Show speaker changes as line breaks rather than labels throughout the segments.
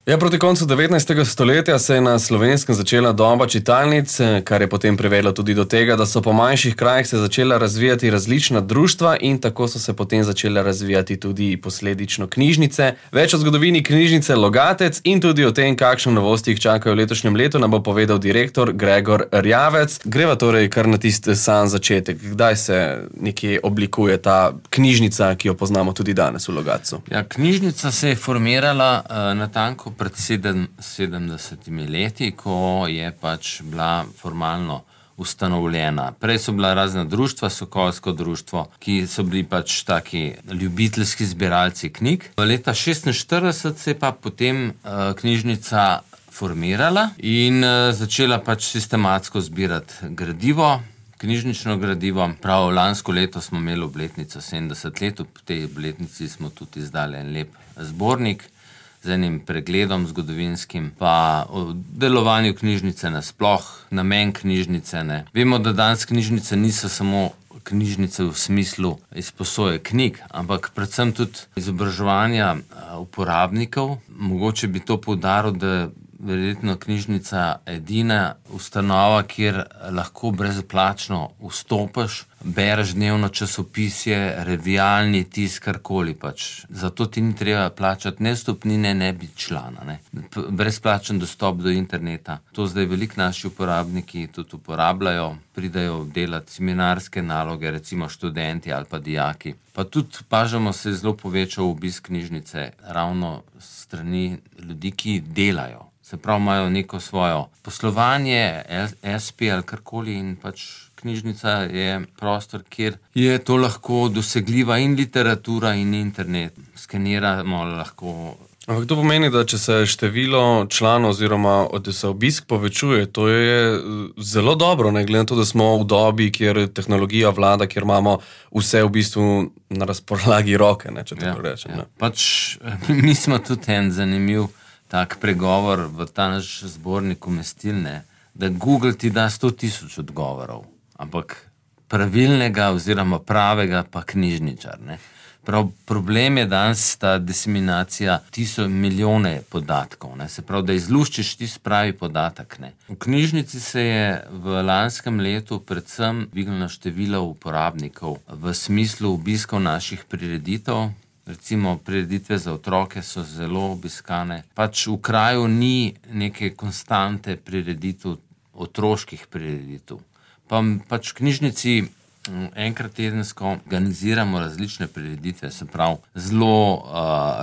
Ja, proti koncu 19. stoletja se je na Slovenskem začela doba čitalnic, kar je potem privedlo tudi do tega, da so po manjših krajih se začela razvijati različna društva in tako so se potem začela razvijati tudi posledično knjižnice. Več o zgodovini knjižnice Logatec in tudi o tem, kakšne novosti jih čakajo v letošnjem letu, nam bo povedal direktor Gregor Rjavec. Greva torej kar na tisti sam začetek. Kdaj se nekje oblikuje ta knjižnica, ki jo poznamo tudi danes v Logatcu?
Ja, knjižnica se je formirala natanko pred 70 leti, ko je pač bila formalno ustanovljena. Prej so bila razna društva, Sokolsko društvo, ki so bili pač taki ljubiteljski zbiralci knjig. V leta 1946 se je pa potem knjižnica formirala in začela pač sistematsko zbirati gradivo, knjižnično gradivo. Prav lansko leto smo imeli obletnico 70 let, v tej obletnici smo tudi izdali en lep zbornik z enim pregledom zgodovinskim, pa o delovanju knjižnice nasploh, namen knjižnice. Ne. Vemo, da danes knjižnice niso samo knjižnice v smislu izposoje knjig, ampak predvsem tudi izobraževanja uporabnikov. Mogoče bi to poudaril, da je verjetno knjižnica edina ustanova, kjer lahko brezplačno vstopiš, bereš dnevno časopisje, revijalni tisk, karkoli pač. Zato ti ni treba plačati ne vstopnine, ne biti člana. Ne. Brezplačen dostop do interneta. To zdaj veliko naši uporabniki tudi uporabljajo, pridajo delati seminarske naloge, recimo študenti ali pa dijaki. Pa tudi pažamo se zelo povečal obisk knjižnice ravno strani ljudi, ki delajo. Se pravi, imajo neko svojo poslovanje, SP ali karkoli in pač knjižnica je prostor, kjer je to lahko dosegljiva in literatura in internet. Skeniramo lahko.
Ampak to pomeni, da če se število članov oziroma da se obisk povečuje, to je zelo dobro, ne glede na to, da smo v dobi, kjer tehnologija vlada, kjer imamo vse v bistvu na razpolagi roke, ne, če tako rečem. Ne.
Pač mi smo tudi en zanimiv tak pregovor v ta naš zbornik umestilne, da Google ti da 100,000 odgovorov, ampak pravilnega oziroma pravega pa knjižničar. Ne. Prav problem je danes ta diseminacija milijone podatkov. Ne. Se pravi, da izluščiš tisti pravi podatek. Ne. V knjižnici se je v lanskem letu predvsem dvignilo število uporabnikov v smislu obiskov naših prireditev. Recimo, prireditve za otroke so zelo obiskane. Pač v kraju ni neke konstante prireditev, otroških prireditev. Pač v knjižnici enkrat tedensko organiziramo različne prireditve, se pravi, zelo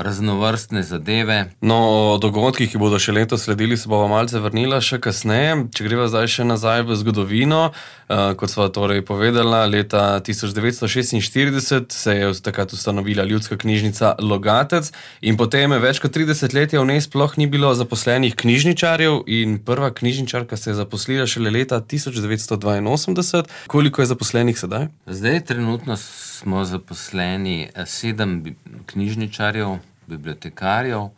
raznovrstne zadeve.
No, o dogodkih, ki bodo še letos sledili, se bova malce vrnila še kasneje. Če greva zdaj še nazaj v zgodovino, kot sva torej povedala, leta 1946 se je takrat ustanovila Ljudska knjižnica Logatec in potem več kot 30 let v njej sploh ni bilo zaposlenih knjižničarjev in prva knjižničarka se je zaposlila šele leta 1982. Koliko je zaposlenih sedaj?
Zdaj trenutno smo zaposleni 7 knjižničarjev, bibliotekarjev,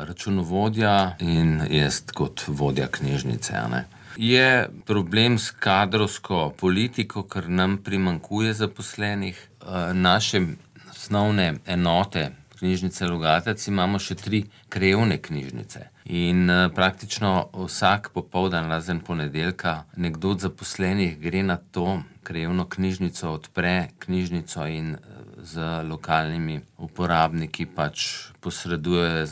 računovodja in jaz kot vodja knjižnice. Ne. Je problem s kadrovsko politiko, ker nam primanjkuje zaposlenih. Naše osnovne enote knjižnice Logatec imamo še 3 krajevne knjižnice. In praktično vsak popoldan, razen ponedeljka, nekdo od zaposlenih gre na to krajevno knjižnico, odpre knjižnico in z lokalnimi uporabniki pač posreduje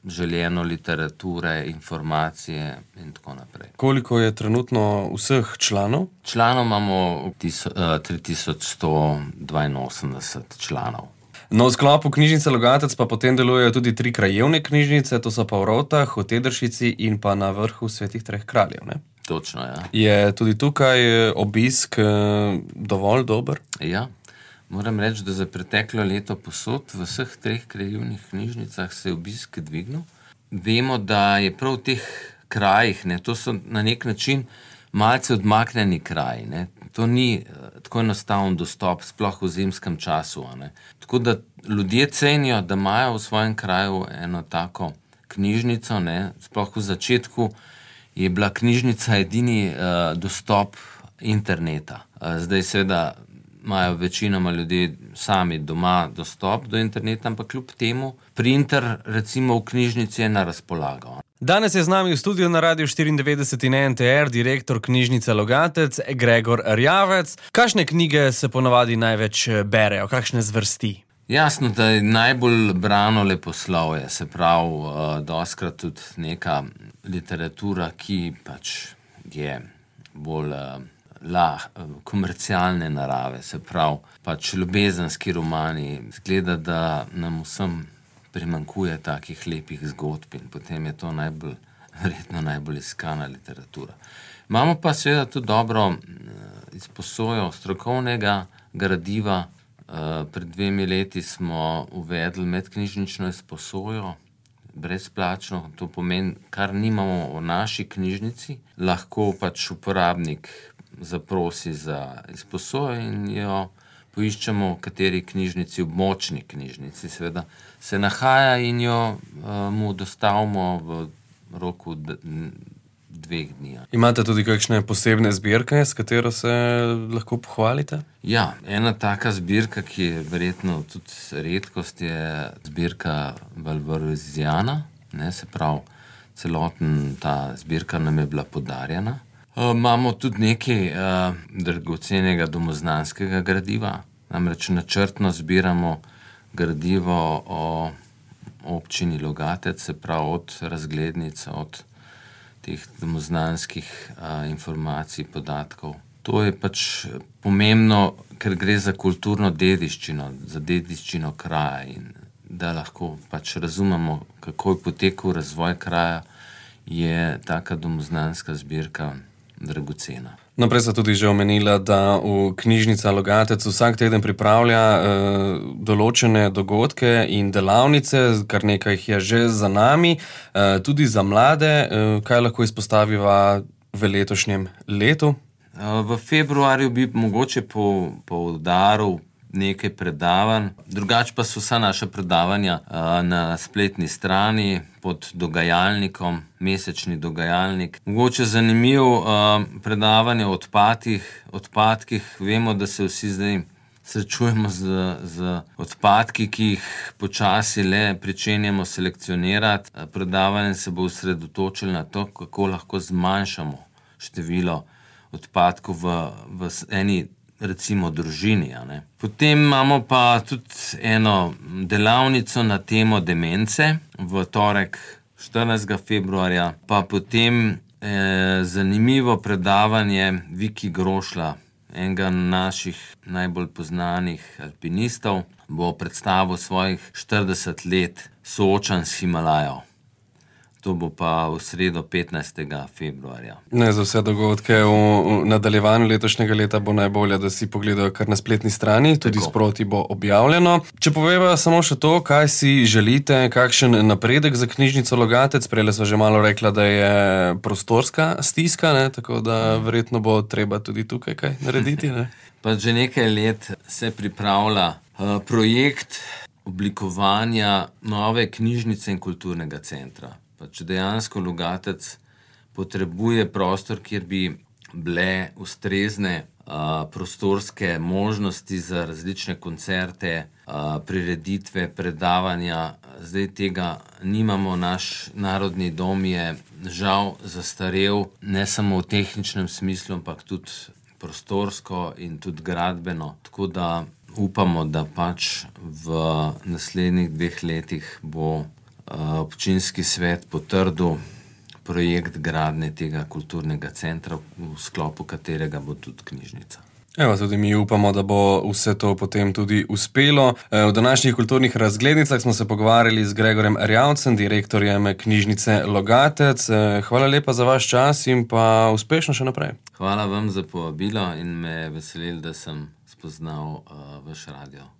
željeno literature, informacije in tako naprej.
Koliko je trenutno vseh članov?
Članov imamo 3182 članov.
No, v sklopu knjižnice Logatec pa potem delujejo tudi 3 krajevne knjižnice, to so pa v Rovtah, v Tedršici in pa na Vrhu Svetih treh kraljev, ne?
Točno, ja.
Je tudi tukaj obisk dovolj dober?
Ja, moram reči, da za preteklo leto posod v vseh 3 krajevnih knjižnicah se je obisk dvignil. Vemo, da je prav v teh krajih, ne, to so na nek način malce odmaknjeni kraji, ne. To ni tako enostaven dostop, sploh v zimskem času. Ne. Tako da ljudje cenijo, da imajo v svojem kraju eno tako knjižnico. Ne. Sploh v začetku je bila knjižnica edini dostop interneta. Zdaj seveda imajo večinoma ljudje sami doma dostop do interneta, ampak kljub temu printer recimo v knjižnici je na razpolago.
Danes je z nami v studiu na Radiu 94 in NTR direktor knjižnice Logatec Gregor Erjavec. Kakšne knjige se ponavadi največ berejo, kakšne zvrsti?
Jasno, da je najbolj brano leposlovje, se pravi, dostikrat tudi neka literatura, ki pač je bolj komercialne narave, se pravi, pač ljubezenski romani. Zgleda, da nam vsem primanjkuje takih lepih zgodb in potem je to verjetno najbolj iskana literatura. Imamo pa seveda tudi dobro izposojo strokovnega gradiva. Pred 2 leti smo uvedli medknjižnično izposojo, brezplačno. To pomeni, kar nimamo v naši knjižnici, lahko pač uporabnik zaprosi za izposojo in jo poiščemo v kateri knjižnici, v območni knjižnici seveda se nahaja in jo mu dostavimo v roku 2 dni.
Imate tudi kakšne posebne zbirke, s katero se lahko pohvalite?
Ja, ena taka zbirka, ki je verjetno tudi redkost, je zbirka Valvaroziana, se pravi, celoten ta zbirka nam je bila podarjena. Imamo tudi nekaj dragocenega domoznanskega gradiva, namreč načrtno zbiramo gradivo o občini Logatec, se pravi od razglednic, od teh domoznanskih informacij, podatkov. To je pač pomembno, ker gre za kulturno dediščino, za dediščino kraja in da lahko pač razumemo, kako je potekal razvoj kraja, je taka domoznanska zbirka dragocena.
No, prej ste tudi že omenila, da v knjižnica Logatec vsak teden pripravlja določene dogodke in delavnice, kar nekaj jih je že za nami, tudi za mlade. Kaj lahko izpostaviva v letošnjem letu?
V februarju bi mogoče poudaril nekaj predavanj, drugače pa so vsa naša predavanja na spletni strani pod dogajalnikom, mesečni dogajalnik. Mogoče zanimivo predavanje o odpadkih. Vemo, da se vsi zdaj srečujemo z odpadki, ki jih počasi le pričenjamo selekcionirati. Predavanje se bo osredotočilo na to, kako lahko zmanjšamo število odpadkov v eni recimo družini. Potem imamo pa tudi eno delavnico na temo demence v torek 14. februarja, pa potem zanimivo predavanje Viki Grošlja, enega naših najbolj poznanih alpinistov, bo predstavil svojih 40 let soočanj s Himalajo. To bo pa v sredo 15. februarja.
Za vse dogodke v nadaljevanju letošnjega leta bo najbolje, da si pogledajo kar na spletni strani, tudi sproti bo objavljeno. Če poveva samo še to, kaj si želite, kakšen napredek za knjižnico Logatec, prej sva že malo rekla, da je prostorska stiska, tako da verjetno bo treba tudi tukaj kaj narediti.
Pa že nekaj let se pripravlja projekt oblikovanja nove knjižnice in kulturnega centra. Če dejansko Logatec potrebuje prostor, kjer bi bile ustrezne prostorske možnosti za različne koncerte, prireditve, predavanja. Zdaj tega nimamo, naš narodni dom je žal zastarel, ne samo v tehničnem smislu, ampak tudi prostorsko in tudi gradbeno. Tako da upamo, da pač v naslednjih 2 letih bo občinski svet potrdil projekt gradnje tega kulturnega centra, v sklopu katerega bo tudi knjižnica.
Tudi mi upamo, da bo vse to potem tudi uspelo. V današnjih kulturnih razglednicah smo se pogovarjali z Gregorjem Erjavcem, direktorjem knjižnice Logatec. Hvala lepa za vaš čas in pa uspešno še naprej.
Hvala vam za povabilo in me veselilo, da sem spoznal vaš radio.